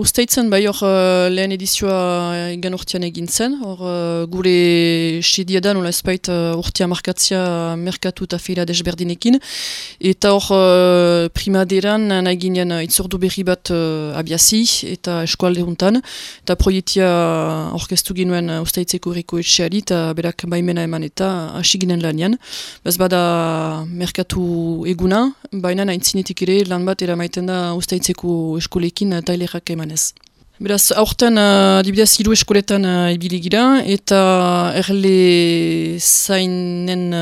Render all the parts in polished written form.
usteitzen, bai hor lehen edizioa egan urtean egin zen, hor gure sedia nola ezbait urtea markatzia merkatu eta feira desberdinekin, eta hor primaderan nahi ginen itzordu berri bat abiazi eta eskualde huntan, eta proiektia orkestu ginuen usteitzeko herriko etxeari, eta berak baimena eman eta hasi ginen lanian. Bez bada merkatu eguna, baina aintzinetik ere lan bat eramaiten da usteitzeko eskolekin tailerak emanez. Beraz, aurten adibidez 3 eskoletan ibili gira, eta erle zainen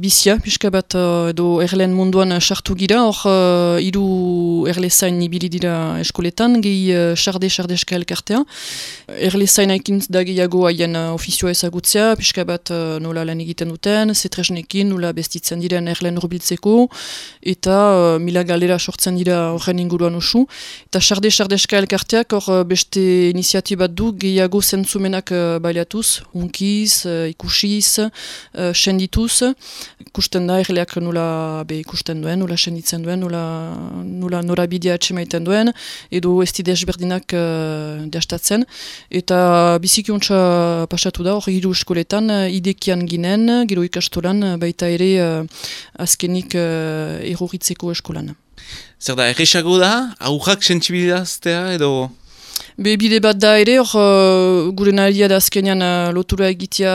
bizia, pixka bat edo erleen munduan sartu gira, hor 3 erle zain ibili dira eskoletan, gehi sarde-sardeska elkartea. Erle zainaikin da gehiago haien ofizioa ezagutzea, pixka bat nola lan egiten duten, zetresnekin, nola bestitzen diren erleen urbiltzeko, eta mila galera sortzen dira horren inguruan usu. Eta sarde-sardeska elkarteak beste iniziatibat du gehiago zentzumenak baliatuz, unkiz, ikusiz, sendituz. Ikusten da erleak nola ikusten duen, nola senditzen duen, nola norabidea atxemaiten duen, edo ez desberdinak deastatzen. Eta biziki ontsa pasatu da, hor 3 eskoletan, idekian ginen, gero ikastolan, baita ere azkenik erroritzeko eskolan. Zer da, erresago da, aurrak sentsibilizaztea edo... Bide bat da ere, hor gure nahiria da azkenean lotura egitea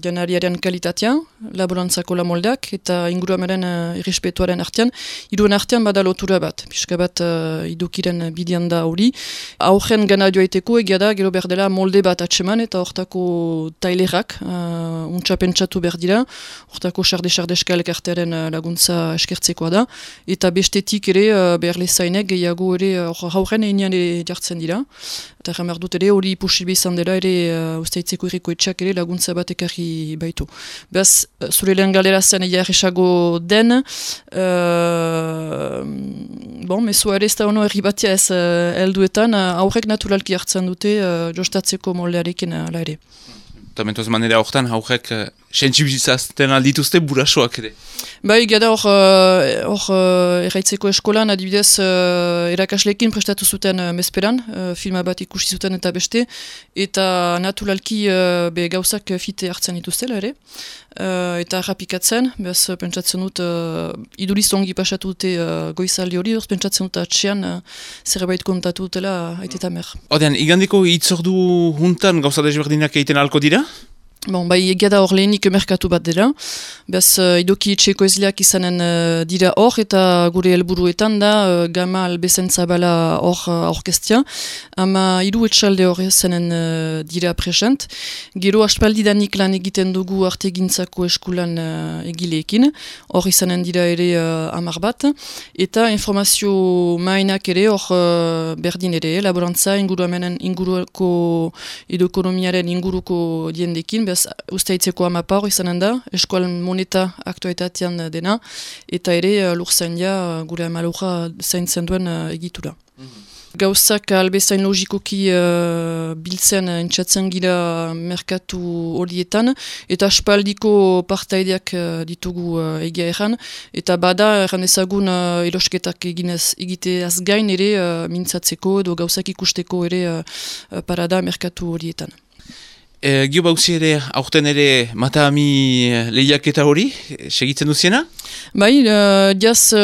janariaren kalitatea, laborantzako la moldeak, eta inguruamaren irrespetuaren artean. Hiruen artean bada lotura bat, pixka bat idukiren bidean da hori. Aurren gana joaiteko egia da, gero berdela molde bat atseman, eta hortako tailerak, untsa pentsatu berdira, hortako sarde-sardeska elkartearen laguntza eskertzekoa da, eta bestetik ere beharle zainek gehiago ere aurren einean jartzen dira. Eta jamar dut ere hori posible izan dela ere usteitzeko herriko etxeak ere laguntza bat ekarri baitu. Beaz, zure lehen galera zen egia erresago den, mezua ere ez da ono herri batia ez helduetan, aurrek naturalki hartzen dute jostatzeko moldearekin ala ere. Eta mentuz manera horretan aurrek sentsibilizazten aldituzte burasoak ere. Bai, gada hor erraitzeko eskolan, adibidez, erakasleekin prestatu zuten mezperan, filma bat ikusi zuten eta beste, eta naturalki gauzak fite hartzen dituztela ere, eta rapikatzen, behaz pentsatzen dut, iduriz ongi pasatu dute goizaldi hori, pentsatzen dut atxean zerbait kontatu dutela aiteta mer. Odean, igandiko hitzordu juntan gauza desberdinak egiten alko dira? Bai, egia da hor lehenik merkatu bat dela. Bez, idoki etxeko ezleak izanen dira hor, eta gure helburuetan da gama albezen zabala hor orkestia. Ama 3 etxalde hor zenen dira present. Gero aspaldidanik lan egiten dugu artegintzako eskulan egileekin. Hor izanen dira ere 10 bat. Eta informazio mainak ere hor berdin ere, laborantza inguruko edo ekonomiaren inguruko diendekin. Usteitzeko amapa hor izanen da, eskual moneta aktuetatean dena, eta ere lurzaindia gure amalura zaintzen duen egitura. Gauzak albezain logikoki biltzen entzatzen gira merkatu horietan, eta aspaldiko partaideak ditugu egia erran, eta bada erran ezagun erosketak egiteaz gain ere mintzatzeko edo gauzak ikusteko ere parada merkatu horietan. Gio bauzi ere, aurten ere Matahami lehiaketa hori, segitzen duziena? Bai, diaz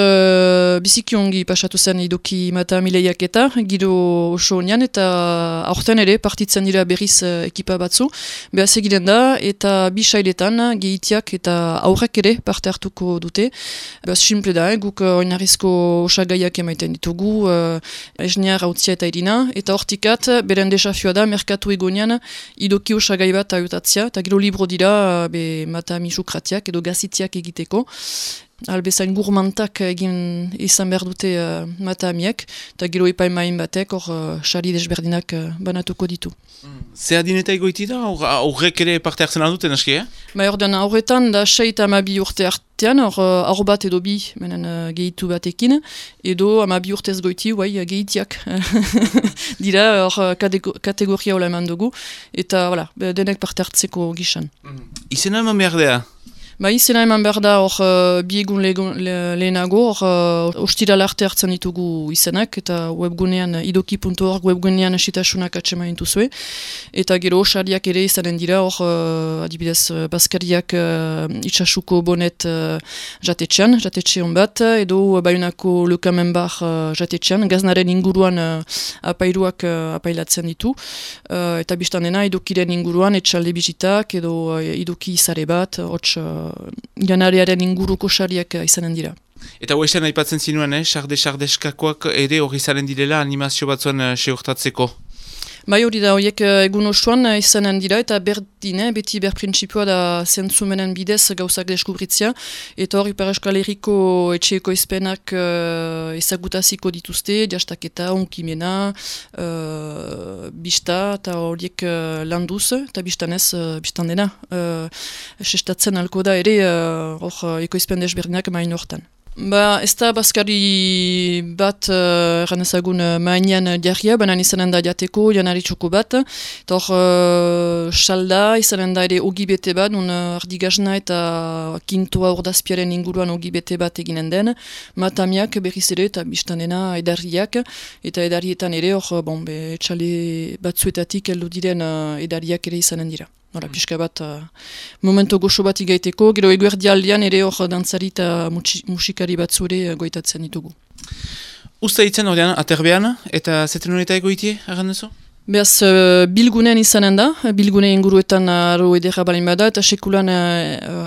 biziki ongi pasatu zen idoki Matahami lehiaketa, giro oso onian, eta aurten ere partitzen dira berriz ekipa batzu. Behaz egiten da, eta bi sailetan gehitiak eta aurrek ere parte hartuko dute. Behaz simple da, guk oinarrizko osagaiak emaiten ditugu, esnear hautzia eta irina, eta hortikat, beren desafioa da, merkatu egonean idoki osagai bat ayutatzia, eta gero libro dira Matahami sukratiak edo gazitiak egiteko. Albezain gurmantak egin izan behar dute Matahamiek, eta gero epaimain batek hor sari desberdinak banatuko ditu. Ze adineta egoiti da? Aurrek ere parte hartzen alduten aski, Ordean aurretan da 6 eta 12 urte artean, aur bat edo bi menen gehitu batekin, edo 12 urtez goiti, gehitiak dira hor kategoria hola eman dugu, eta denek parte hartzeko gizan. Izena eman behar dea? Ba, izena eman behar da hor bi egun lehenago, hor ostirala arte hartzen ditugu izenak, eta webgunean idoki.org webgunean esitasunak atsemain duzue, eta gero sariak ere izanen dira hor adibidez Baskariak itxasuko bonet jatetxe hon bat, edo Baionako Lekamen bar jatetxean, gaznaren inguruan apairuak apailatzen ditu, eta biztan dena idokiren inguruan etxalde bizitak, edo idoki izare bat, hots janarearen inguruko sariak izanen dira. Eta hoesten aipatzen zinuen, sardeskakoak ere hori zaren direla animazio batzuen seurtatzeko? Bai hori da, horiek egun osoan izanen dira, eta berdine, beti berprintzipioa da zentzumenen bidez gauzak deskubritzia, eta hori Ipar Euskal Herriko etxeeko izpenak ezagutaziko dituzte, jastaketa, onkimena, bista, eta horiek landuz, eta bistanez, bistan dena, sestatzen alko da ere, hor ekoizpen desberdinak main hortan. Ba, ez da Baskari bat erran ezagun mainean diarria, banan izanen da jateko, janari txoko bat, eta hor salda, izanen da ere ogi bete bat, ardigazna eta kintoa ordazpiaren inguruan ogi bete bat eginen den, matamiak berriz ere eta biztanena edarriak, eta edarrietan ere hor, etxale batzuetatik heldu diren edarriak ere izanen dira. Hora, pixka bat, momento goxo bat igaiteko, gero eguerdi aldean ere hor dantzari eta musikari batzu ere goitatzen ditugu. Usta hitzen horrean, aterbean, eta zeten horreta egoitie, arran duzu? Beaz, bilgunean izanen da, bilgune inguruetan aro edera balin bada, eta sekulan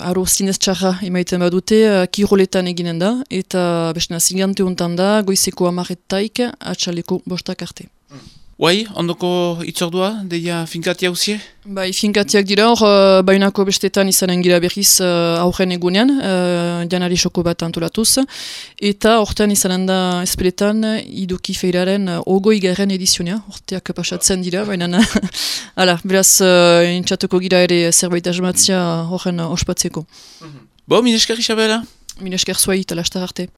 aro zinez txarra emaiten badute, kiroletan eginen da, eta bestena zigante hontan da, goizeko 10:00 atxaleko 5 arte. Guai, ondoko itzordua, deia finkati hauzie? Bai, finkatiak dira, hor Baionako bestetan izanen gira berriz aurren egunean, janari soko bat antolatuz, eta hortan izanen da espeletan idoki feiraren 20. edizionea, horteak pasatzen dira, baina beraz, intxatuko gira ere zerbait asmatzia horren ospatzeko. Bo, minesker Isabela? Minesker zuai, eta lastar arte.